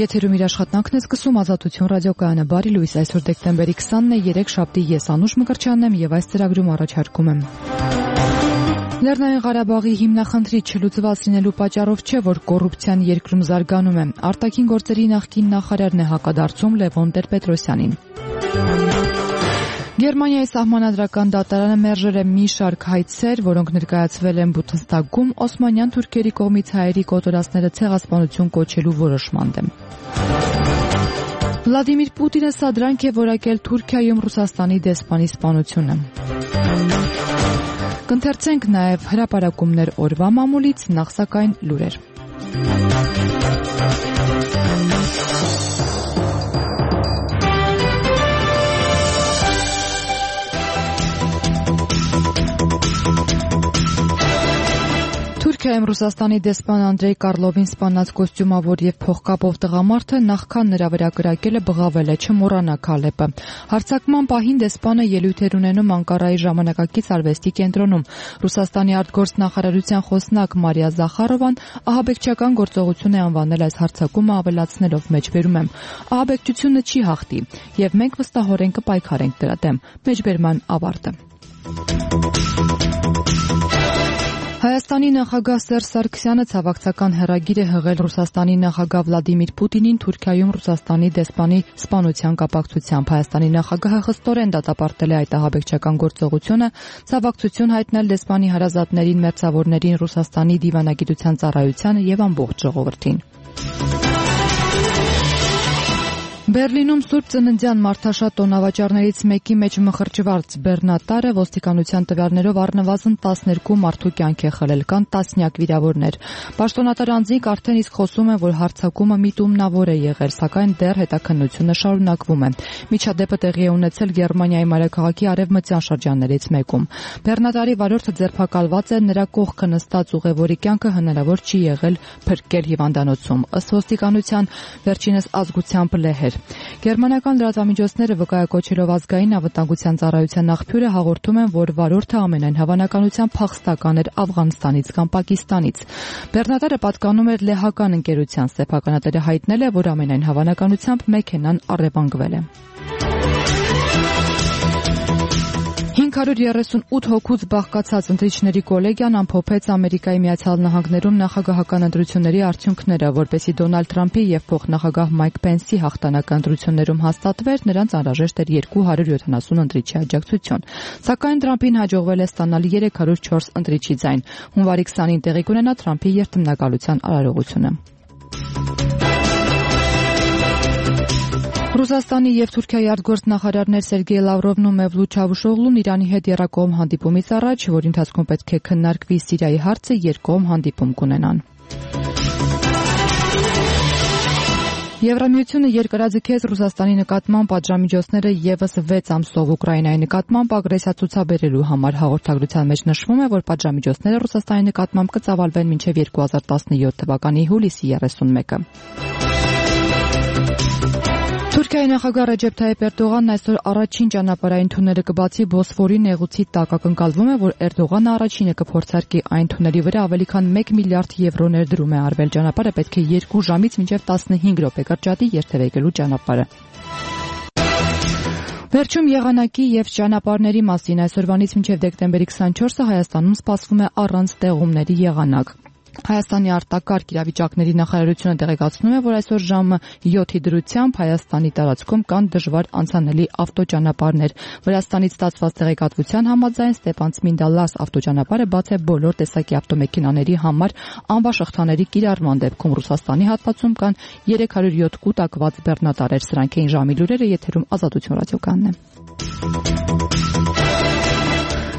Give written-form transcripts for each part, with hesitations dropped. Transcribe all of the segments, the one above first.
եթերում իր աշխատանքն է սկսում Ազատություն ռադիոկայանը։ Բարի լույս, այսօր դեկտեմբերի 20-ն է, 3 շաբթի, ես Անուշ Մկրտչյանն եմ եւ այս ծրագրում առաջարկում եմ. Լեռնային Ղարաբաղի հիմնախնդրի չլուծված լինելու պատճառով չէ, որ կոռուպցիան երկրում զարգանում է։ Արտաքին գործերի նախկին նախարարն է հակադարձում Լևոն Տեր-Պետրոսյանին։ Գերմանիայի սահմանադրական դատարանը մերժել է մի շարք հայցեր, որոնք ներկայացվել են Բութստագում օսմանյան թուրքերի կողմից հայերի կոտորածները ցեղասպանություն կոչելու որոշման դեմ։ Վլադիմիր Պուտինը սադրանք է որակել Թուրքիայում Ռուսաստանի դեսպանի սպանությունը։ Կընթերցենք նաև հրապարակումներ օրվա մամուլից, նախ սակայն լուրեր։ Թուրքիայում Ռուսաստանի դեսպան Անդրեյ Կարլովին սպանած կոստյումավոր եւ փողկապով տղամարդը նախքան նրա վրա կրակելը բղավել է, չմոռանա Քալեպը։ Հարձակման պահին դեսպանը ելույթ էր ունենում Անկարայի ժամանակակից արվեստի կենտրոնում։ Ռուսաստանի արտգործնախարարության խոսնակ Մարիա Զախարովան ահաբեկչական գործողություն է անվանել այս հարձակումը, ավելացնելով մեջբերում եմ. ահաբեկչությունը չի հաղթի եւ մենք վստահորեն կպայքարենք դրա դեմ։ Մեջբերման ավարտը։ Հայաստանի նախագահ Սերժ Սարգսյանը ցավակցական հեռագիր է հղել Ռուսաստանի նախագահ Վլադիմիր Պուտինին Թուրքիայում Ռուսաստանի դեսպանի սպանության կապակցությամբ։ Հայաստանի նախագահը խստորեն դատապարտել է այդ ահաբեկչական գործողությունը, ցավակցություն հայտնել դեսպանի հարազատներին, մերձավորներին, Ռուսաստանի դիվանագիտության ծառայությանը եւ ամբողջ ժողովրդին։ Բերլինում Սուրբ Ծննդյան մարդաշատ տոնավաճառներից մեկի մեջ մխրճված բեռնատարը ոստիկանության տվյալներով առնվազն 12 մարդու կյանք է խլել, կան տասնյակ վիրավորներ։ Պաշտոնատար անձինք արդեն իսկ խոսում են, որ հարձակումը միտումնավոր է եղել, սակայն դեռ հետաքննությունը շարունակվում է։ Միջադեպը տեղի է ունեցել Գերմանիայի մայրաքաղաքի արևմտյան շրջաններից մեկում։ Բեռնատարի վարորդը ձերբակալված է, նրա կողքը նստած ուղևորի կյանքը հնարավոր չի եղել փրկել հիվանդանոցում։ Ըստ ոստիկանության վերջինս ազգությամբ լեհ էր։ Գերմանական լրատվամիջոցները վկայակոչելով ազգային անվտանգության ծառայության աղբյուրը հաղորդում են, որ վարորդը ամենայն հավանականությամբ փախստական էր Աֆղանստանից կամ Պակիստանից։ Բեռնատարը պատկանում էր լեհական ընկերության, սեփականատերը հայտնել է, որ ամենայն հավանականությամբ մեքենան առևանգվել է։ 538 հոգուց բաղկացած ընտրիչների կոլեգիան ամփոփեց Ամերիկայի Միացյալ Նահանգներում նախագահական ընտրությունների արդյունքները, որպեսզի Դոնալդ Թրամփի եւ փոխնախագահ Մայք Պենսի հաղթանակը ընտրություններում հաստատվեր, նրանց անհրաժեշտ էր 270 ընտրիչի աջակցություն։ Սակայն Թրամփին հաջողվել է ստանալ 304 ընտրիչի ձայն։ Հունվարի 20-ին տեղի կունենա Թրամփի երթմնակալության արարողությունը։ Ռուսաստանի եւ Թուրքիայի արտգործնախարարներ Սերգեյ Լավրովն ու Մևլութ Չավուշօղլուն Իրանի հետ եռակողմ հանդիպումից առաջ, որի ընթացքում պետք է քննարկվի Սիրիայի հարցը, երկկողմ հանդիպում կունենան։ Եվրամիությունը երկարաձգեց Ռուսաստանի նկատմամբ պատժամիջոցները եւս 6 ամսով Ուկրաինայի նկատմամբ ագրեսիա ցուցաբերելու համար։ Հաղորդագրության մեջ նշվում է, որ պատժամիջոցները Ռուսաստանի նկատմամբ կծավալվեն մինչև 2017 թվականի հուլիսի 31-ը։ Թուրքիայի նախագահ Ռեջեփ Թայիփ Էրդողանն այսօր առաջին ճանապարհային թունելը կբացի Բոսֆորի նեղուցի տակ։ Ակնկալվում է, որ Էրդողանը առաջինը կփորձարկի այն թունելի վրա ավելի քան 1 միլիարդ եվրո ներդրում է արվել։ Ճանապարհը պետք է 2 ժամից մինչև 15 րոպե կրճատի երթևեկելու ճանապարհը։ Վերջում եղանակի եւ ճանապարհների մասին այսօրվանից մինչև դեկտեմբերի 24-ը Հայաստանում սպասվում է առանց տեղումների եղանակ։ Հայաստանի արտակարգ իրավիճակների նախարարությունը տեղեկացնում է, որ այսօր ժամը 7-ի դրությամբ Հայաստանի տարածքում կան դժվար անցանելի ավտոճանապարհներ։ Վրաստանից ստացված տեղեկատվության համաձայն Ստեփան-Ցմինդա-Լաս ավտոճանապարհը բաց է բոլոր տեսակի ավտոմեքենաների համար անվաշղթաների կիրառման դեպքում։ Ռուսաստանի հատվածում կան 307 կուտակված բեռնատարեր։ Սրանք էին ժամի լուրերը, եթերում Ազատություն ռադիոկայանն է։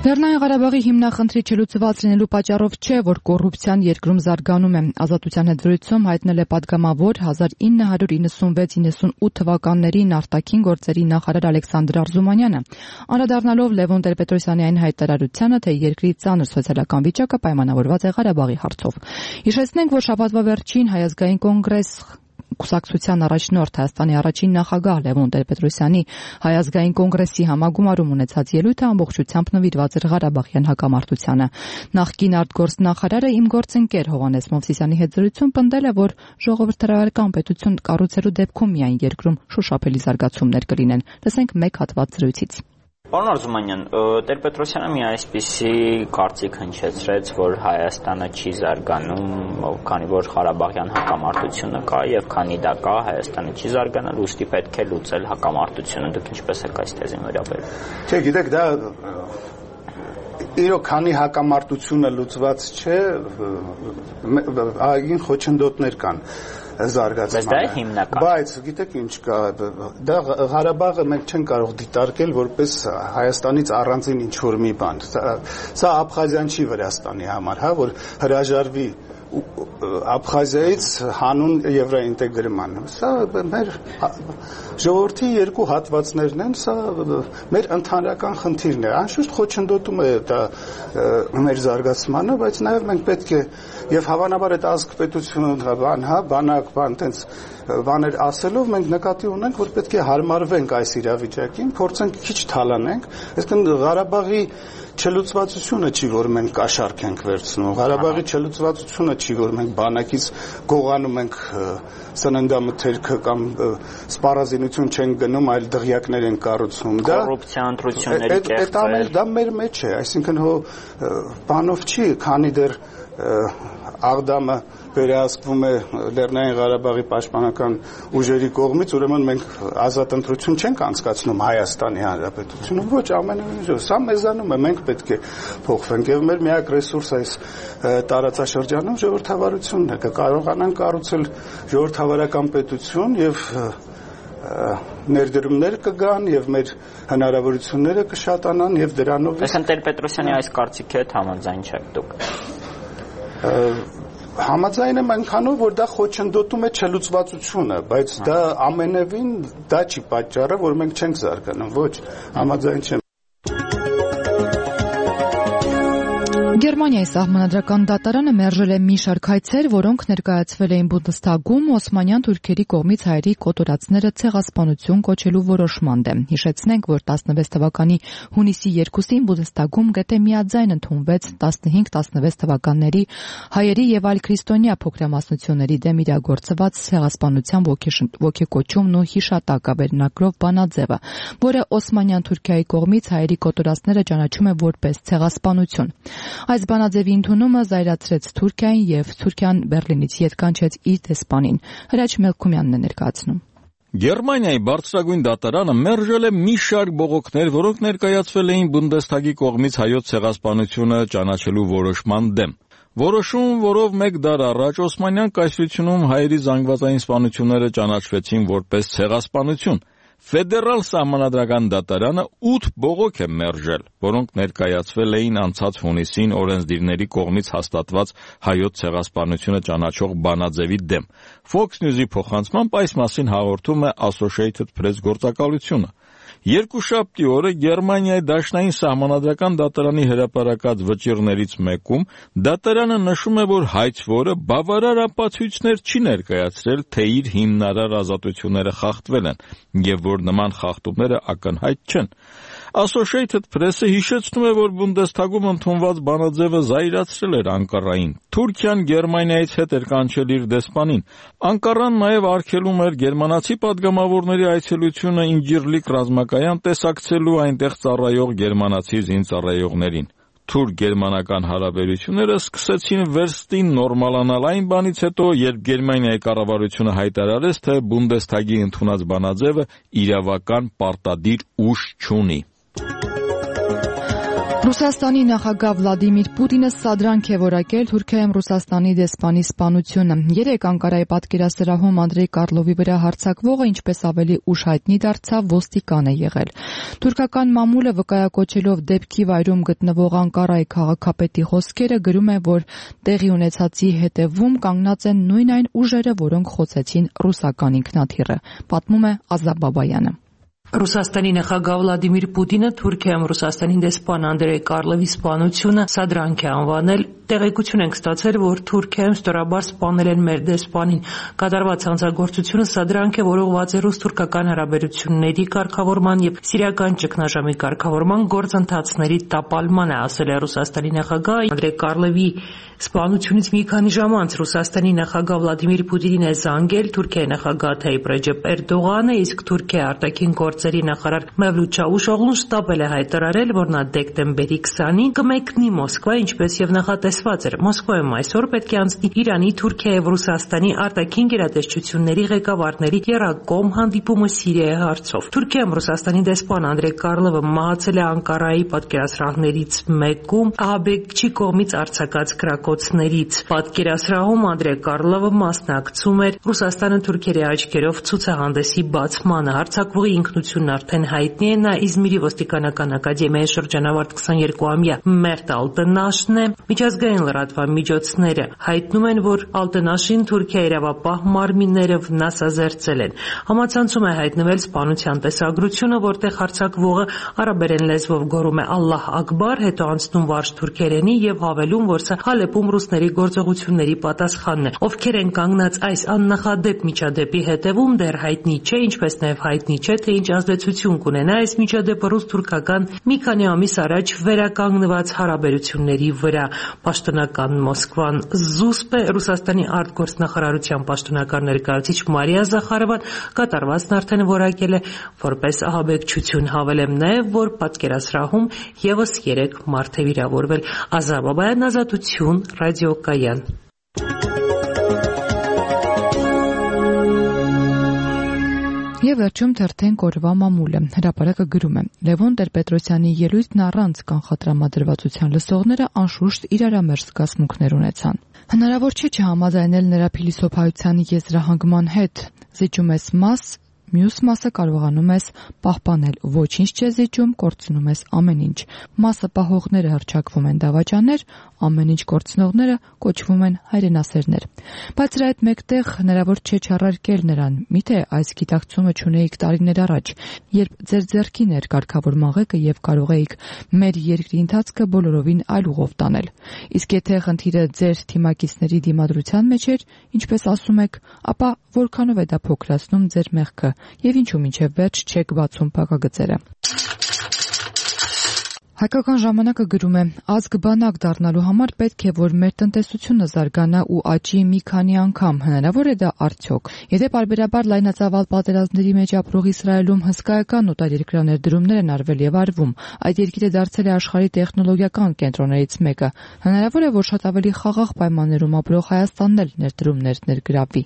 Լեռնային Ղարաբաղի հիմնախնդրի չլուծված լինելու պատճառով չէ, որ կոռուպցիան երկրում զարգանում է։ Ազատության հետ զրույցում հայտնել է պատգամավոր 1996-98 թվականներին արտաքին գործերի նախարար Ալեքսանդր Արզումանյանը, անդրադառնալով Լևոն Տեր-Պետրոսյանի այն հայտարարությանը, թե երկրի ծանր սոցիալական վիճակը պայմանավորված է Ղարաբաղի հարցով։ Հիշեցնենք, որ շաբաթվա վերջին Հայ ազգային կուսակցության առաջնորդ Հայաստանի առաջին նախագահ Լևոն Տեր-Պետրոսյանի Հայ ազգային կոնգրեսի համագումարում ունեցած ելույթը ամբողջությամբ նվիրված էր Ղարաբաղյան հակամարտությանը։ Նախկին արտգործնախարարը իմ գործընկեր Հովհաննես Մովսիսյանի հետ զրույցում պնդել է, որ ժողովրդավարական պետություն կառուցելու դեպքում միայն երկրում շոշափելի զարգացումներ կլինեն։ Լսենք մեկ հատված զրույցից։ Պարոն Արզումանյան, Տեր-Պետրոսյանը մի այսպիսի կարծիք հնչեցրեց, որ Հայաստանը չի զարգանում, քանի որ Ղարաբաղյան հակամարտությունը կա եւ քանի դա կա, Հայաստանը չի զարգանալ, ուստի պետք է լուծել հակամարտությունը։ Դուք ինչպես եք այս թեզին վերաբերվում։ Չէ, գիտեք, դա իրոք քանի հակամարտությունը լուծված չէ, այգին խոչընդոտներ կան զարգացման։ Բայց գիտեք ինչ կա, դա Ղարաբաղը մենք չենք կարող դիտարկել որպես Հայաստանից առանձին ինչ-որ մի բան։ Սա Աբխազիան չի Վրաստանի համար, հա, որ հրաժարվի Աբխազիայից հանուն եվրոինտեգրման։ Սա մեր ժողովրդի երկու հատվածներն են, սա մեր ընդհանրական խնդիրն է։ Անշուշտ խոչընդոտում է դա մեր զարգացմանը, բայց նաև մենք պետք է եւ հավանաբար այդ ազգ-պետությունը բան, տենց բաներ ասելով մենք նկատի ունենք, որ պետք է հարմարվենք այս իրավիճակին, փորձենք քիչ թալանենք, այսինքն Ղարաբաղի չլուծվածությունը չի, որ մենք կաշառք ենք վերցնում, Ղարաբաղի չլուծվածությունը չի, որ մենք բանակից գողանում ենք սննդամթերքը կամ սպառազինություն չենք գնում, այլ դղյակներ ենք կառուցում։ Դա կոռուպցիա ընտրությունների կեղծել։ Դա մեր մեջ է, այսինքն բանով չի, քանի դեռ Աղդամը վերահսկվում է Լեռնային Ղարաբաղի պաշտպանական ուժերի կողմից, ուրեմն մենք ազատ ընտրություն չենք անցկացնում Հայաստանի Հանրապետությունում, ոչ, ամենևին սա մեզանում է, մենք պետք է փոխվենք եւ մեր միակ ռեսուրս այս տարածաշրջանում ժողովրդավարությունն է, կկարողանանք կառուցել ժողովրդավարական պետություն եւ ներդրումներ կգան եւ մեր հնարավորությունները կշատանան եւ դրանով Այսինքն Տեր-Պետրոսյանի այս կարծիքի հետ համաձայն չեք դուք։ Համաձայն եմ այնքանով, որ դա խոչընդոտում է չլուծվածությունը, բայց դա ամենևին դա չի պատճառը, որ մենք չենք զարգանում, ոչ, համաձայն չեմ։ Գերմանիայի սահմանադրական դատարանը մերժել է մի շարք հայցեր, որոնք ներկայացվել էին Բունդեսթագում օսմանյան թուրքերի կողմից հայերի կոտորածները ցեղասպանություն կոչելու որոշման դեմ։ Հիշեցնենք, որ 16 թվականի հունիսի 2-ին Բունդեսթագում գետե միաձայն ընդունվեց 15-16 թվականների հայերի եւ այլ քրիստոնյա փոքրամասնությունների դեմ իրագործված ցեղասպանության ոգեկոչումն ու հիշատակը վերնագրով բանաձևը, որը օսմանյան Թուրքիայի կողմից հայերի կոտորածները ճանաչում է որպես ցեղասպանություն։ Այս բանաձևի ընդունումը զայրացրեց Թուրքիային եւ Թուրքիան Բերլինից ետ կանչեց իր դեսպանին։ Հրաչ Մելքումյանն է ներկայացնում։ Գերմանիայի բարձրագույն դատարանը մերժել է մի շարք բողոքներ, որոնք ներկայացվել էին Բունդեսթագի կողմից հայոց ցեղասպանությունը ճանաչելու որոշման դեմ։ Որոշում, որով մեկ դար առաջ Օսմանյան կայսրությունում հայերի զանգվածային սպանությունները ճանաչվեցին որպես ցեղասպանություն։ Ֆեդերալ սահմանադրական դատարանը 8 բողոք է մերժել, որոնք ներկայացվել էին անցած հունիսին օրենսդիրների կողմից հաստատված հայոց ցեղասպանությունը ճանաչող բանաձևի դեմ։ Fox News-ի փոխանցմամբ այս մասին հաղորդում է Associated Press գործակալությունը։ Երկուշաբթի օրը Գերմանիայի դաշնային սահմանադրական դատարանի հրապարակած վճիռներից մեկում դատարանը նշում է, որ հայցվորը բավարար ապացույցներ չի ներկայացրել, թե իր հիմնարար ազատությունները խախտվել են եւ որ նման խախտումները ակնհայտ չեն։ Associated Press-ը հիշեցնում է, որ Բունդեսթագում ընդունված բանաձևը զայրացրել էր Անկարային։ Թուրքիան Գերմանիայից հետ էր կանչել իր դեսպանին։ Անկարան նաև արգելում էր գերմանացի պատգամավորների այցելությունը Ինջիրլիկ ռազմակայան տեսակցելու այնտեղ ծառայող գերմանացի զինծառայողներին։ Թուրք-գերմանական հարաբերությունները սկսեցին վերստին նորմալանալ այն բանից հետո, երբ Գերմանիայի կառավարությունը հայտարարեց, թե Բունդեսթագի ընդունած բանաձևը իրավական պարտադիր ուժ չունի։ Ռուսաստանի նախագահ Վլադիմիր Պուտինը սադրանք է որակել Թուրքիայում Ռուսաստանի դեսպանի սպանությունը։ Երեկ Անկարայի պատկերասրահում Անդրեյ Կարլովի վրա հարձակվողը ինչպես ավելի ուշ հայտնի դարձավ, ոստիկան է եղել։ Թուրքական մամուլը վկայակոչելով դեպքի վայրում գտնվող Անկարայի քաղաքապետի խոսքերը գրում է, որ տեղի ունեցածի հետևում կանգնած են նույն այն ուժերը, որոնք խոցեցին ռուսական ինքնաթիռը, պատմում է Ազա Բաբայանը։ Ռուսաստանի նախագահ Վլադիմիր Պուտինը Թուրքիայում Ռուսաստանի դեսպան Անդրեյ Կարլովի սպանությունը սադրանք է անվանել։ Տեղեկություն ենք ստացել, որ Թուրքիայում ստորաբար սպանել են մեր դեսպանին։ Կատարված հանցագործությունը սադրանք է, որ ուղղված է ռուս-թուրքական հարաբերությունների կարգավորման եւ սիրիական ճգնաժամի կարգավորման գործընթացների տապալման է, ասել է Ռուսաստանի նախագահ Անդրեյ Կարլովի սպանությունից մի քանի ժամ անց Ռուսաստանի նախագահ Վլադիմիր Պուտինին է զանգել Թուրքիայի նախագահ Թայիպ Ռեջեփ Էրդողանը, իսկ Թուրքիայի արտաքին գործերի նախարար Մևլութ Չավուշօղլուն շտապել է հայտարարել, որ նա դեկտեմբերի 20-ին կմեկնի Մոսկվա, ինչպես եւ նախատեսված էր։ Մոսկվայում այսօր պետք է անցնի Իրանի, Թուրքիայի եւ Ռուսաստանի արտաքին գերատեսչությունների ղեկավարների եռակողմ հանդիպումը Սիրիայի հարցով։ Թուրքիայում Ռուսաստանի դեսպան Անդրեյ Կարլովը մահացել է Անկարայի պատկերասրահներից մեկում ահաբեկչի կողմից արձակած գրակոծներից։ Պատկերասրահում Անդրեյ Կարլովը մասնակցում էր Ռուսաստանը թուրքերի աչքերով ցուցահանդեսի բացմանը։ Հարձակվողի ինքնությունն արդեն հայտնի է, նա Իզմիրի ոստիկանական ակադեմիայի շրջանավարտ 22-ամյա Մերտ Ալտենաշն է։ Միջազգային լրատվամիջոցները հայտնում են, որ Ալտենաշին Թուրքիայի իրավապահ մարմինները վնասազերծել են։ Համացանցում է հայտնվել սպանության տեսագրությունը, որտեղ հարձակվողը արաբերեն լեզվով գոռում է «Ալլահ Ակբար», հետո անցնում վարժ թուրքերենի եւ հավելում, որ սա Հալեպում ռուսների գործողությունների պատասխանն է։ Ովքեր են կանգնած այս աննախադեպ միջադեպի հետևում, դեռ հայտնի չէ, ինչպես նաեւ հայտնի չէ, թե ինչ ազդեցություն կունենա այս միջադեպը ռուս-թուրքական մի քանի ամիս առաջ վերականգնված հարաբերությունների վրա։ Պաշտոնական Մոսկվան զուսպ է։ Ռուսաստանի արտգործնախարարության պաշտոնական ներկայացուցիչ Մարիա Զախարովան կատարվածն արդեն որակել է որպես ահաբեկչություն։ Հավելեմ նաեւ, որ պատկերասրահում եւս 3 մարդ է վիրավորվել։ Ազար Բաբայան, Ազատություն, ռադիոկայան։ Եվ վերջում թերթենք օրվա մամուլը։ Հրապարակը գրում է. Լևոն Տեր-Պետրոսյանի ելույթն առանց կանխատրամադրվածության լսողները անշուշտ իրարամերժ զգացմունքներ ունեցան։ Հնարավոր չէ չհամաձայնել նրա փիլիսոփայության եզրահանգման հետ։ Զիջում ես մաս, մյուս մասը կարողանում ես պահպանել, ոչինչ չէ զիջում, կորցնում ես ամեն ինչ։ Մասը պահողները հռչակվում են դավաճաններ, ամեն ինչ կորցնողները կոչվում են հայրենասերներ։ Բայց դրա հետ մեկտեղ հնարավոր չէ չառարկել նրան, միթե այս գիտակցումը չունեիք տարիներ առաջ, երբ ձեր ձեռքին էր կարգավորման ղեկը եւ կարող էիք մեր երկրի ընթացքը բոլորովին այլ ուղով տանել։ Իսկ եթե խնդիրը ձեր թիմակիցների դիմադրության մեջ էր, ինչպես ասում եք, ապա որքանով է դա փոքրացնում ձեր մեղքը եւ ինչու մինչեւ վերջ չեք բացում փակագծերը։ Հայկական ժամանակը գրում է. ազգ բանակ դառնալու համար պետք է, որ մեր տնտեսությունը զարգանա ու աճի մի քանի անգամ։ Հնարավոր է դա արդյոք։ Եթե պարբերաբար լայնածավալ պատերազմների մեջ ապրող Իսրայելում հսկայական օտարերկրյա ներդրումներ են արվել եւ արվում, այդ երկիրը դարձել է աշխարհի տեխնոլոգիական կենտրոններից մեկը, հնարավոր է, որ շատ ավելի խաղաղ պայմաններում ապրող Հայաստանն էլ ներդրումներ ներգրավի։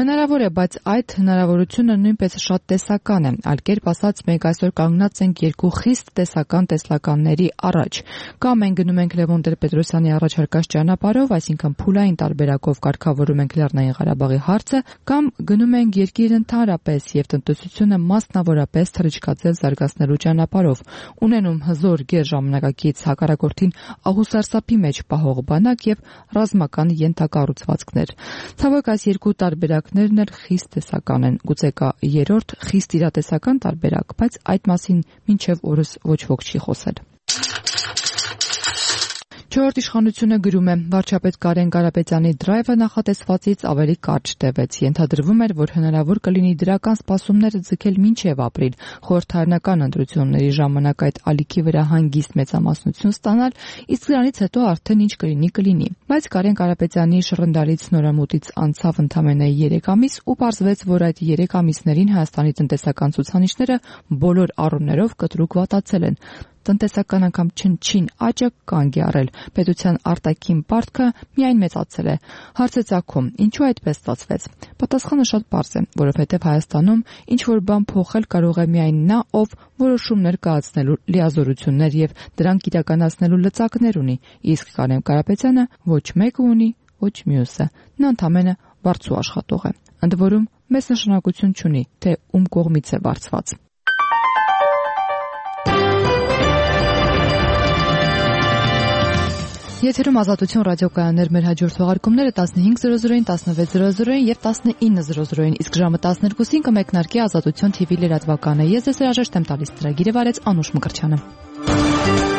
Հնարավոր է, բայց այդ հնարավորությունը նույնպես շատ տեսական է։ Այլ կերպ ասած, մենք այսօր կանգնած ենք երկու խիստ տեսական տեսլականների առաջ։ Կամ մենք գնում ենք Լևոն Տեր-Պետրոսյանի առաջարկած ճանապարհով, այսինքն փուլային տարբերակով կարգավորում ենք Լեռնային Ղարաբաղի հարցը, կամ գնում ենք երկիրը ընդհանրապես եւ տնտեսությունը մասնավորապես թռիչքաձև զարգացնելու ճանապարհով, ունենում հզոր գեր ժամանակակից հակառակորդին աղուսարսափի մեջ պահող բանակ եւ ռազմական ենթակառուցվածքներ։ Ցավոք, այս երկու տարբերակներն էլ խիստ տեսական են։ Գուցե կա երրորդ խիստ իրատեսական տարբերակ, բայց այդ մասին մինչեւ օրս ոչ ոք չի խոսել։ Չորրորդ իշխանությունը գրում է. վարչապետ Կարեն Կարապետյանի դրայվը նախատեսվածից ավելի կարճ տևեց։ Ենթադրվում էր, որ հնարավոր կլինի դրական սպասումները ձգել մինչև ապրիլ, խորհրդարանական ընտրությունների ժամանակ այդ ալիքի վրա հանգիստ մեծամասնություն ստանալ, իսկ դրանից հետո արդեն ինչ կլինի։ Բայց Կարեն Կարապետյանի շռնդալից նորամուտից անցավ ընդամենը 3 ամիս ու պարզվեց, որ այդ 3 ամիսներին Հայաստանի տնտեսական ցուցանիշները բոլոր առումներով կտրուկ վատացել են։ Տնտեսական անգամ չնչին աճը կանգ է առել, պետության արտաքին պարտքը միայն մեծացել է։ Հարց է ծագում, ինչու այդպես ստացվեց։ Պատասխանը շատ պարզ է, որովհետև Հայաստանում ինչ-որ բան փոխել կարող է միայն նա, ով որոշումներ կայացնելու լիազորություններ եւ դրանք իրականացնելու լծակներ ունի, իսկ Կարեն Կարապետյանը ոչ մեկը ունի, ոչ մյուսը։ Նա ընդամենը վարձու աշխատող է։ Ընդ որում, մեծ նշանակություն չունի, թե ում կողմից է վարձված։ Եթերում Ազատություն ռադիոկայաններ, մեր հաջորդ թողարկումները 15:00-ին, 16:00-ին եւ 19:00-ին, իսկ ժամը 12-ին կմեկնարկի Ազատություն TV լրատվականը։ Ես ձեզ հրաժեշտ եմ տալիս ծրագիրը վարեց Անուշ Մկրտչյանը։